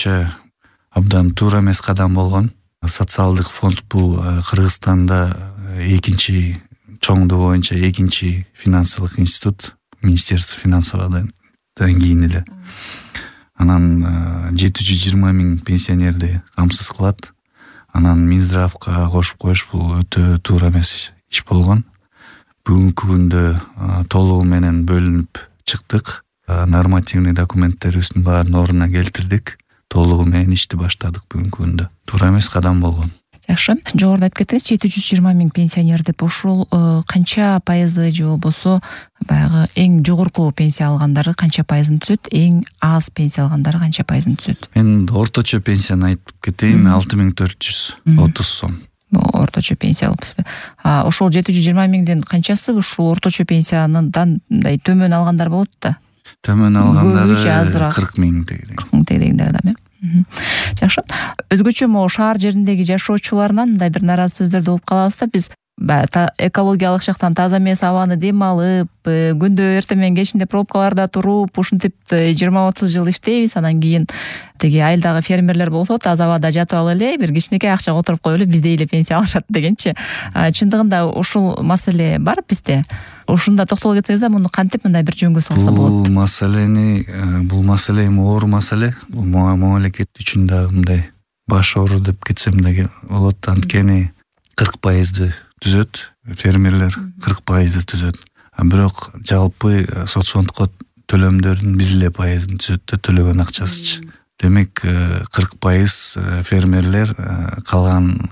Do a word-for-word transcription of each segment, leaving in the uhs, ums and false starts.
боюнча абдан туура эмес кадам болгон. Социалдык фонд бул Кыргызстанда экинчи чоңдугу боюнча экинчи финансылык институт, Министерство финансоводон кийин эле. Анан жети жүз жыйырма миң пенсионерди камсыз кылат. Анан Минздравга кошуп коюш бул өтө туура эмес иш болгон. Бүгүнкү күндө толугу менен бөлүнүп чыктык. Нормативный документтерибиздин баарын ордуна келтирдик. Толугу менен ишти баштадык бүгүнкү күндө. Туура эмес кадам болгон. Жакшы. Жогоруда айтып кеттиңиз, жети жүз жыйырма миң пенсионер деп. Ушул канча пайызы же болбосо баягы эң жогорку пенсия алгандары канча пайызын түзөт, эң аз пенсия алгандары канча пайызын түзөт? Мен орточо пенсияны айтып кетейин, алты миң төрт жүз отуз сом. Бул орточо пенсия алып. А ошол жети жүз жыйырма миңден канчасы ушул орточо пенсиядан мындай төмөн алгандар болот да? Төмөн алгандары кырк миң тегерек. кырк миң тегерегинде адам, э? Жакшы. Өзгөчө могу шаар жериндеги жашоочуларынан мындай бир наразы сөздөрдү угуп калабыз да биз. Экологиялык жактан таза эмес абаны дем алып, күндө эртең менен кечинде пробкаларда туруп, ушинтип жыйырма отуз жыл иштейбиз, анан кийин тиги айылдагы фермерлер болсо таза абада жатып алып эле бир кичинекей акчага отуруп коюп эле биздей эле пенсия алышат дегенчи. Чындыгында ушул маселе бар бизде. Ушунда токтоло кетсеңиз да, муну кантип мындай бир жөнгө салса болот? Бул маселени, бул маселе эми оор маселе. Бул мамлекет үчүн да мындай баш оору деп кетсем да болот. Анткени кырк пайызды түзөт, фермерлер кырк пайызды түзөт. Бирок жалпы соцфондко төлөмдөрдүн бир эле пайызын түзөт да, төлөгөн акчасычы. Демек кырк пайыз фермерлер калган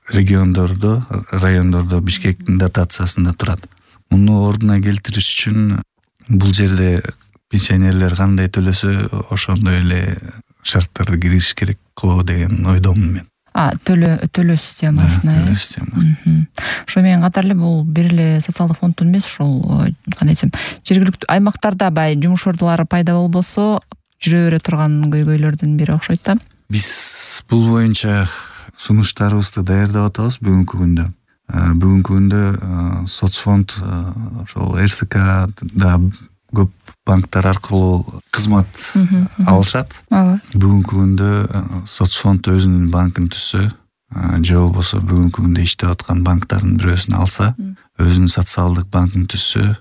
региондордо, райондордо Бишкектин дотациясында турат. Муну ордуна келтириш үчүн бул жерде пенсионерлер кандай төлөсө, ошондой эле шарттарды киргизиш керек го деген ойдомун мен. А, төлөө төлөө системасына. Төлөө системасы. Ошо менен катар эле бул бир эле социалдык фонддун эмес, ушул кандай десем, жергиликтүү аймактарда бай жумуш ордулары пайда болбосо, жүрө бере турган көйгөйлөрдүн бири окшойт да. Биз бул боюнча сунуштарыбызды даярдап атабыз бүгүнкү күндө. Бүгүнкү күндө соцфонд ошол эр эс ка да көп банктар аркылуу кызмат алышат. Бүгүнкү күндө соцфонд өзүнүн банкын түзсө, же болбосо бүгүнкү күндө иштеп аткан банктардын бирөөсүн алса, өзүнүн социалдык банкын түзсө,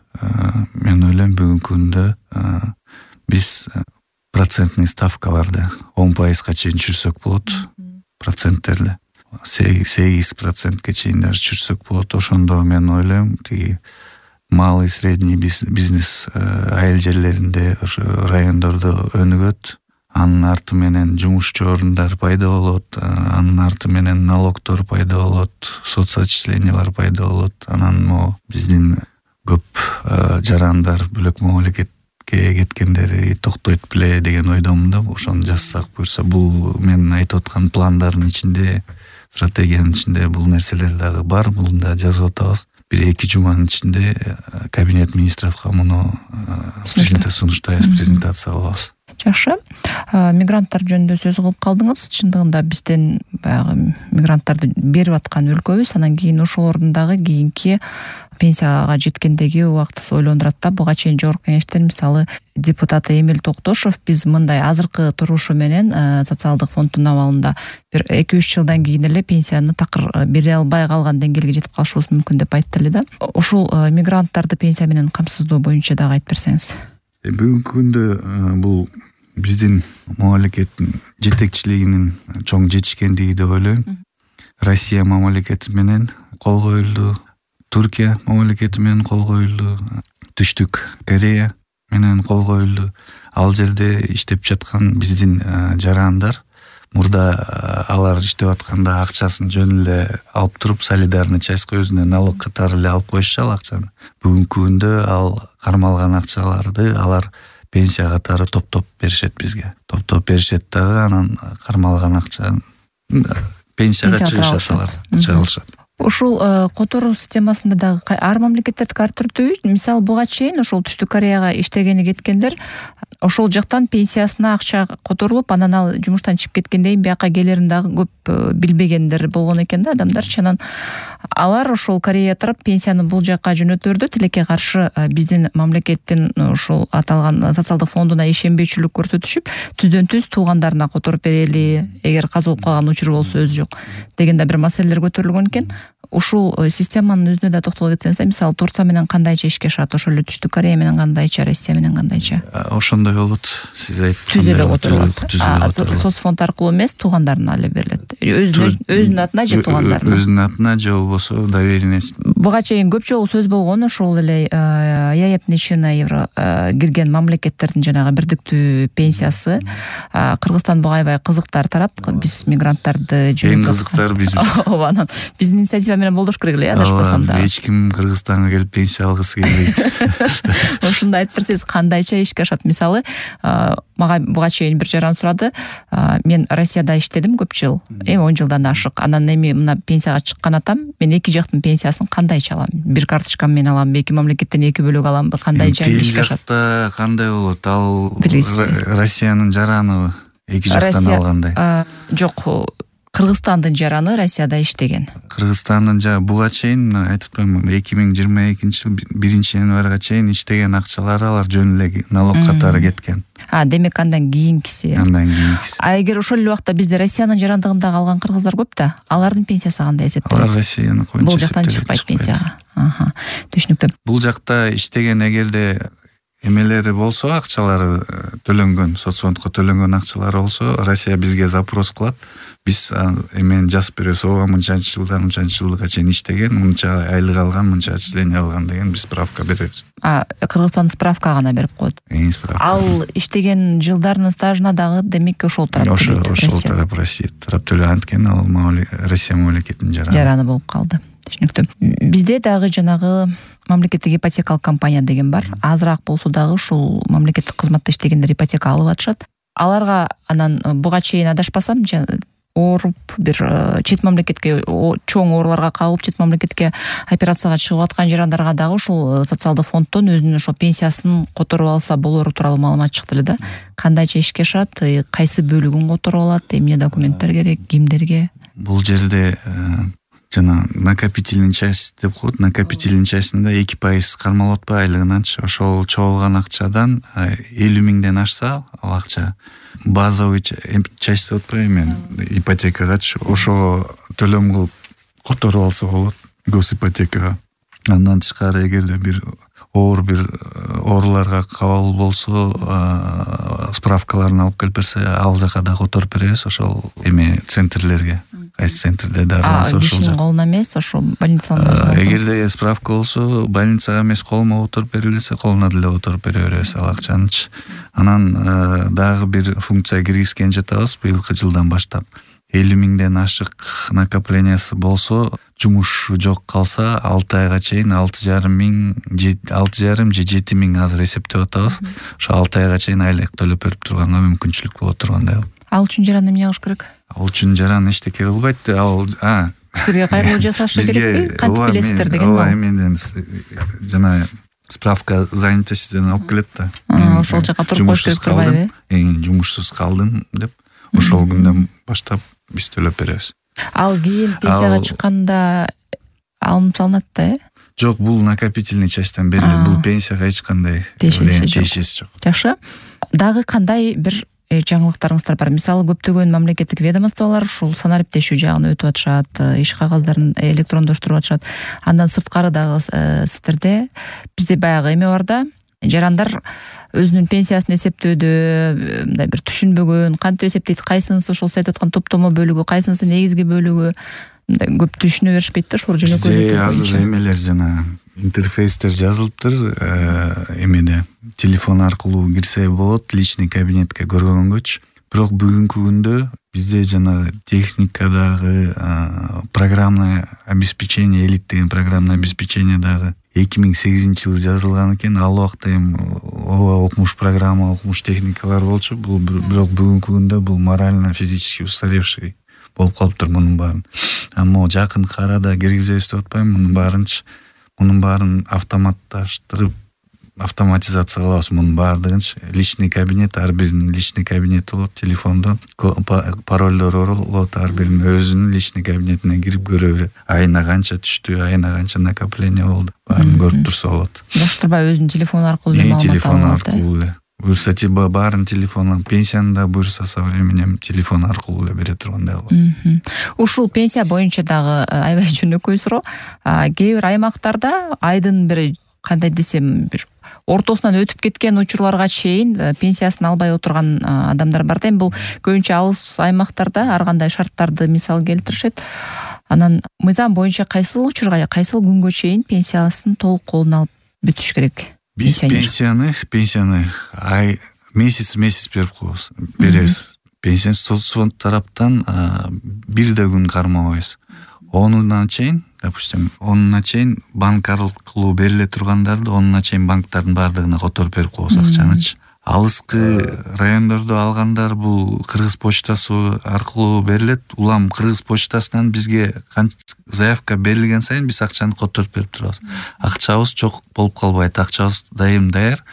мен ойлойм бүгүнкү күндө биз процентный ставкаларды он пайызга чейин түшүрсөк болот. Проценттерди сегиз процентке чейин даже түшүрсөк болот. Ошондо мен ойлойм, тиги малый средний бизнес айыл жерлеринде, ошо райондордо өнүгөт. Анын арты менен жумушчу орундар пайда болот, анын арты менен налогдор пайда болот, соцотчислениялар пайда болот. Анан могу биздин көп жарандар бөлөк мамлекетке кеткендери токтойт беле деген ойдомун да. Ошону жазсак буюрса, бул мен айтып аткан пландардын ичинде, стратегиянын ичинде бул нерселер дагы бар. Буну да жазып атабыз. Бир эки жуманын ичинде кабинет министровго муну сунуштайбыз, презентация кылабыз. Жакшы. Мигранттар жөнүндө сөз кылып калдыңыз. Чындыгында бизден баягы мигранттарды берип аткан өлкөбүз, анан кийин ошолордун дагы кийинки пенсияга жеткендеги убактысы ойлондурат да. Буга чейин жогорку кеңештен мисалы депутат Эмил Токтошов биз мындай азыркы турушу менен социалдык фонддун абалында бир эки үч жылдан кийин эле пенсияны такыр бере албай калган деңгээлге жетип калышыбыз мүмкүн деп айтты эле да. Ушул мигранттарды пенсия менен камсыздоо боюнча дагы айтып берсеңиз. Бүгүнкү күндө бул биздин мамлекеттин жетекчилигинин чоң жетишкендиги деп ойлойм. Россия мамлекети менен кол коюлду, Туркия мамлекети менен кол коюлду, Түштүк Корея менен кол коюлду. Ал жерде иштеп жаткан биздин жарандар мурда алар иштеп атканда акчасын жөн эле алып туруп, солидарный частька өзүнө налог катары эле алып коюшчу ал акчаны. Бүгүнкү күндө ал кармалган акчаларды алар пенсия катары топтоп беришет бизге. Топтоп беришет дагы, анан кармалган акчаны пенсияга чыгышат алар, чыгылышат. Ушул которуу системасында дагы ар мамлекеттердики ар түрдүү. Мисалы буга чейин ошол Түштүк Кореяга иштегени кеткендер ошол жактан пенсиясына акча которулуп, анан ал жумуштан чыгып кеткенден кийин бияка келерин дагы көп билбегендер болгон экен да адамдарчы. Анан алар ошол Корея тарап пенсияны бул жакка жөнөтөрдү. Тилекке каршы биздин мамлекеттин ошол аталган социалдык фондуна ишенбейчүлүк көрсөтүшүп, түздөн түз туугандарына которуп берели, эгер каза болуп калган учур болсо өзү жок деген да бир маселелер көтөрүлгөн экен. Ушул системанын өзүнө да токтоло кетсеңиз, мисалы Турция менен кандайча ишке ашат, ошол эле Түштүк Корея менен кандайча, Россия менен кандайча? Ошондой болот. Сиз айткандай түз эле которулат. Соцфонд аркылуу эмес, туугандарына эле берилет. Өзүнүн өзүнүн атына же туугандарына? Өзүнүн атына же болбосо доверенность. Буга чейин көп жолу сөз болгон, ошол эле ЕАЭП-на евро кирген мамлекеттердин жанагы бирдиктүү пенсиясы. Кыргызстан буга аябай кызыктар тарап, биз мигранттарды эң кызыктар бизбиз. Ооба, анан биздин инициатива менен болдош керек эле, адашпасам да. Эч ким Кыргызстанга келип пенсия алгысы келбейт. Ошондо айтып берсеңиз, кандайча ишке ашат? Мисалы, мага буга чейин бир жаран сурады. Мен Россияда иштедим көп жыл, эми он жылдан ашык. Анан эми мына пенсияга чыккан атам, мен эки жактын пенсиясын кандайча алам? Бир карточкам менен алам, эки мамлекеттен эки бөлөк аламбы? Кандайча ишке ашат? Тил жакта кандай болот? Ал Россиянын жараны эки жактан алгандай. Жок, Кыргызстандын жараны Россияда иштеген. Кыргызстандын жа буга чейин айтып коем, эки миң жыйырма экинчи жыл биринчи январга чейин иштеген акчалары алар жөн эле налог катары кеткен. А, демек андан кийинкиси. Андан кийинкиси. А эгер ошол эле убакта бизде Россиянын жарандыгында калган кыргыздар көп да, алардын пенсиясы кандай эсептелет? Алар Россиянын коюнча бул жактан чыкпайт пенсияга. Аха, түшүнүктүү. Бул жакта иштеген эгерде эмелери болсо, акчалары төлөнгөн, соцфондко төлөнгөн акчалары болсо, Россия бизге запрос кылат. Биз эмени жазып беребиз, ооба мынчанчы жылдан мынчанчы жылга чейин иштеген, мынча айлык алган, мынча отчисление алган деген биз справка беребиз. А, Кыргызстан справка гана берип коет. Эң справка. Ал иштеген жылдарынын стажына дагы демек ошол тарап төлөйт. Ошол тарап Россия тарап төлөйт, анткени ал Россия мамлекетинин жараны. Жараны болуп калды. Түшүнүктүү. Бизде дагы жанагы мамлекеттик ипотекалык компания деген бар. Азыраак болсо дагы ушул мамлекеттик кызматта иштегендер ипотека алып атышат. Аларга анан буга чейин адашпасам, ооруп бир чет мамлекетке, чоң ооруларга кабылып чет мамлекетке операцияга чыгып аткан жарандарга дагы ушул социалдык фонддон өзүнүн ошо пенсиясын которуп алса болору тууралуу маалымат чыкты эле да. Кандайча ишке ашат, кайсы бөлүгүн которуп алат, эмне документтер керек, кимдерге? Бул жерде жана накопительный часть деп коет. Накопительный частында эки пайыз кармалып атпайбы айлыгынанчы. Ошол чогулган акчадан элүү миңден ашса, ал акча базовый часть деп атпайбы, мен ипотекагачы ошо төлөм кылып которуп алса болот, госипотекага. Андан тышкары эгерде бир оор бир ооруларга кабыл болсо, справкаларын алып келип берсе, ал жака да которуп беребиз, ошол эме центрлерге. Кайсы центрде дарыланса ошол жак. Колуна эмес, ошо больницаларда. Эгерде справка болсо, больницага эмес, колуна которуп берилсе, колуна деле которуп бере беребиз ал акчанычы. Анан дагы бир функция киргизген жатабыз быйылкы жылдан баштап. элүү миңден ашык накоплениясы болсо, жумуш жок калса, алты айга чейин алты жарым миң, алты жарым же жети миң азыр эсептеп атабыз. Ошо алты айга чейин айлык төлөп берип турганга мүмкүнчүлүк боло тургандай. Ал үчүн жаран эмне кылыш керек? Ал үчүн жаран эчтеке кылбайт. Ал а сизге кайрылуу жасашы керекпи? Кантип билесиздер деген ооба, эмнен жана справка занятостьтен алып келет да. Мен ошол жака туруп коюш керек турбайбы? Эң жумушсуз калдым деп, ошол күндөн баштап биз төлөп беребиз. Ал кийин пенсияга чыкканда алынып салынат да, э? Жок, бул накопительный частьтан берилет. Бул пенсияга эч кандай тиешеси жок. Жакшы. Дагы кандай бир жаңылыктарыңыздар бар? Мисалы, көптөгөн мамлекеттик ведомстволор ушул санариптешүү жагын өтүп атышат, иш кагаздарын электрондоштуруп атышат. Андан сырткары дагы сиздерде бизде баягы эме бар да, жарандар өзүнүн пенсиясын эсептөөдө мындай бир түшүнбөгөн, кантип эсептейт, кайсынысы ошол сиз айтып аткан топтомо бөлүгү, кайсынысы негизги бөлүгү, мындай көп түшүнө беришпейт да, ушул жөнөкөй. Бизде азыр эмелер жана интерфейстер жазылыптыр, эмеде телефон аркылуу кирсе болот, личный кабинетке көргөнгөчү. Бирок бүгүнкү күндө бизде жана техникадагы программное обеспечение, элит деген программное обеспечение дагы эки миң сегизинчи жылы жазылган экен. Ал убакта эми ооба окумуш программа, окумуш техникалар болчу. Бул бирок бүгүнкү күндө бул морально физически устаревший болуп калыптыр мунун баарын. Амма жакынкы арада киргизебиз деп атпайм, мунун баарынчы. Мунун баарын автоматташтырып автоматизация кылабыз мунун баардыгынчы. Личный кабинет, ар биринин личный кабинети болот, телефондон паролдор болот, ар биринин өзүнүн личный кабинетине кирип көрө берет. Айына канча түштү, айына канча накопление болду, баарын көрүп турса болот. Жаштырбай өзүнүн телефону аркылуу эле маалымат алып алат. Телефон аркылуу эле. Буюрса баарын телефондон, пенсияны да буюрса со временем телефон аркылуу эле бере тургандай болот. Ушул пенсия боюнча дагы аябай жөнөкөй суроо. Кээ бир аймактарда айдын бир кандай десем бир ортосунан өтүп кеткен учурларга чейин пенсиясын албай отурган адамдар бар да. Эми бул көбүнчө алыс аймактарда ар кандай шарттарды мисал келтиришет. Анан мыйзам боюнча кайсыл учурга, кайсыл күнгө чейин пенсиясын толук колуна алып бүтүш керек? Биз пенсияны, пенсияны ай месяц месяц берип коебуз, беребиз. Пенсияны соцфонд тараптан бир да күн кармабайбыз. онуна чейин, допустим, онуна чейин банк аркылуу бериле тургандарды онуна чейин банктардын баардыгына которуп берип коебуз акчанычы. Алыскы райондордо алгандар бул Кыргыз почтасы аркылуу берилет. Улам Кыргыз почтасынан бизге заявка берилген сайын биз акчаны которуп берип турабыз. Акчабыз жок болуп калбайт, акчабыз дайым даяр.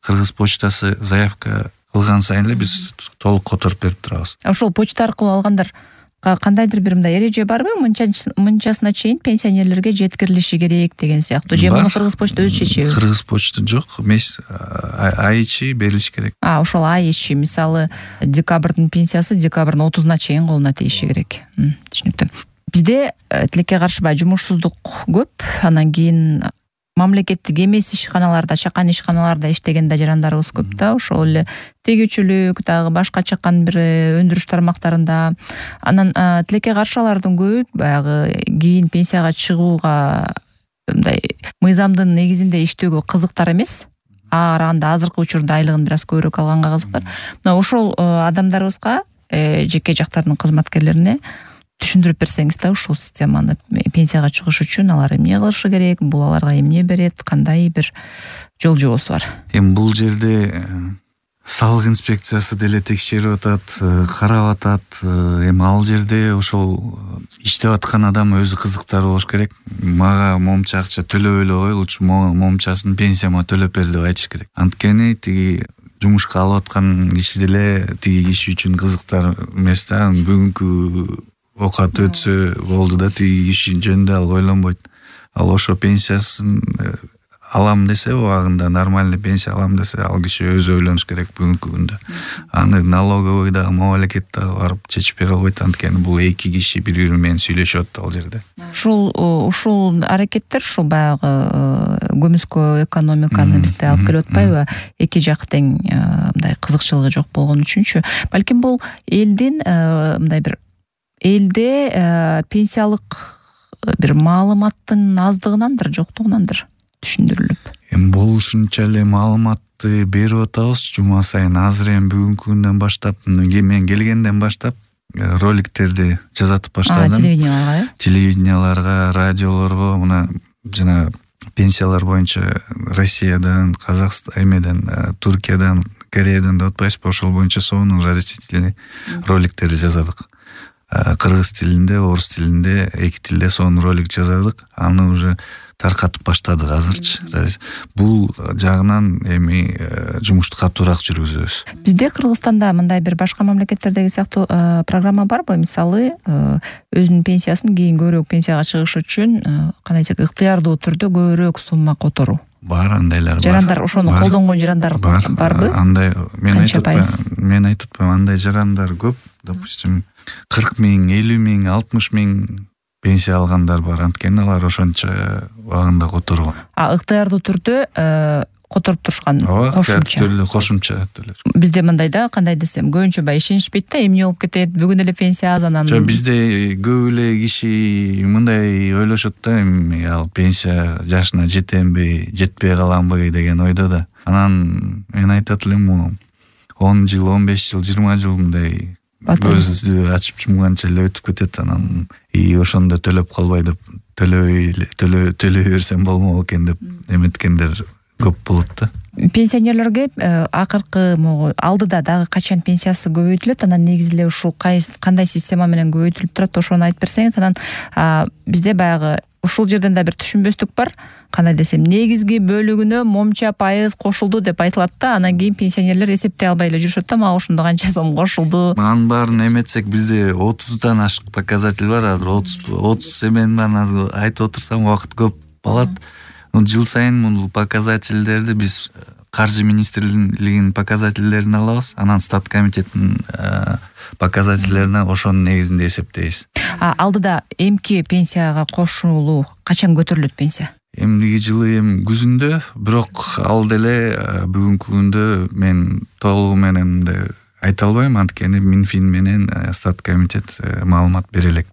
Кыргыз почтасы заявка кылган сайын эле биз толук которуп берип турабыз. Ошол почта аркылуу алгандар кандайдыр бир мындай эреже барбы? Мынчасына чейин пенсионерлерге жеткирилиши керек деген сыяктуу. Же муну Кыргыз почта өзү чечеби? Кыргыз почта жок, месяц ай ичи берилиш керек. А, ошол ай ичи, мисалы, декабрдын пенсиясы декабрдын отузуна чейин колуна тийиши керек. Түшүнүктүү. Бизде тилекке каршыбай жумушсуздук көп, анан кийин мамлекеттик эмес ишканаларда, чакан ишканаларда иштеген да жарандарыбыз көп да. Ошол эле тегүүчүлүк, дагы башка чакан бир өндүрүш тармактарында. Анан тилекке каршылардын көбү баягы кийин пенсияга чыгууга мындай мыйзамдын негизинде иштөөгө кызыктар эмес. А караганда азыркы учурда айлыгын бир аз көбүрөөк алганга кызыктар. Мына ошол адамдарыбызга, жеке жактардын кызматкерлерине түшүндүрүп берсеңиз да, ушул системаны пенсияга чыгыш үчүн алар эмне кылышы керек, бул аларга эмне берет, кандай бир жол жобосу бар? Эми бул жерде салык инспекциясы деле текшерип атат, карап атат. Эми ал жерде ошол иштеп аткан адам өзү кызыктар болуш керек. Мага момча акча төлөп эле коелучу, момчасын пенсияма төлөп бер деп айтыш керек. Анткени тиги жумушка алып аткан киши деле тиги киши үчүн кызыктар эмес да. Бүгүнкү окат өтсө болду да, тиги киши жөнүндө ал ойлонбойт. Ал ошо пенсиясын алам десе, убагында нормальный пенсия алам десе, ал киши өзү ойлонуш керек бүгүнкү күндө. Аны налоговый да, мамлекет да барып чечип бере албайт, анткени бул эки киши бири-бири менен сүйлөшүп атат ал жерде. Ушул ушул аракеттер ушул баягы көмүскө экономиканы бизде алып келип атпайбы? Эки жак тең мындай кызыкчылыгы жок болгон үчүнчү. Балким бул элдин мындай бир элде пенсиялык бир маалыматтын аздыгынандыр, жоктугунандыр түшүндүрүлүп. Эми болушунча эле маалыматты берип атабыз жума сайын. Азыр эми бүгүнкү күндөн баштап, мен келгенден баштап роликтерди жазатып баштадым. Телевиденияларга, телевиденияларга, радиолорго, мына жана пенсиялар боюнча Россиядан, Казакстан, эмеден, Туркиядан, Кореядан деп атпайбызбы? Ошол боюнча сонун разъяснительный роликтерди жазадык. Кыргыз тилинде, орус тилинде, эки тилде сонун ролик жазадык. Аны уже таркатып баштадык азырчы. Бул жагынан эми жумушту катуураак жүргүзөбүз. Бизде Кыргызстанда мындай бир башка мамлекеттердеги сыяктуу программа барбы? Мисалы, өзүнүн пенсиясын кийин көбүрөөк пенсияга чыгыш үчүн кандай десек, ыктыярдуу түрдө көбүрөөк сумма которуу. Бар, андайлар бар. Жарандар ошону колдонгон жарандар барбы? Андай, мен айтып мен айтып атпайм, андай жарандар көп. Допустим, кырк миң, элүү миң, алтымыш миң пенсия алгандар бар. Анткени алар ошончо убагында которгон. А ыктыярдуу түрдө которуп турушкан кошумча. Кошумча төлөш. Бизде мындай да, кандай десем, көбүнчө бай ишенишпейт да, эмне болуп кетет, бүгүн эле пенсия аз, анан. Жок, бизде көп эле киши мындай ойлошот да, эми ал пенсия жашына жетемби, жетпей каламбы деген ойдо да. Анан мен айтат элем, он жыл, он беш жыл, жыйырма жыл мындай көздү ачып жумганча эле өтүп кетет. Анан и ошондо төлөп калбай деп, төлөбөй төлөй төлөй берсем болмок экен деп эметкендер көп болот да. Пенсионерлерге акыркы могу алдыда дагы качан пенсиясы көбөйтүлөт, анан негизи эле ушул кандай система менен көбөйтүлүп турат, ошону айтып берсеңиз. Анан бизде баягы ушул жерден да бир түшүнбөстүк бар. Кандай десем, негизги бөлүгүнө момча пайыз кошулду деп айтылат да, анан кийин пенсионерлер эсептей албай эле жүрүшөт да, мага ушунда канча сом кошулду. Анын баарын эметсек бизде отуздан ашык показатель бар азыр. отуз отуз эменин баарын азыр айтып отурсам убакыт көп алат. Жыл сайын бул показательдерди биз каржы министрлигинин показательдерин алабыз, анан стат комитеттин показательдерине ошонун негизинде эсептейбиз. А алдыда эмки пенсияга кошулуу качан көтөрүлөт пенсия? Эмдиги жылы эми күзүндө, бирок ал деле бүгүнкү күндө мен толугу менен да айта албайм, анткени Минфин менен стат комитет маалымат бере элек.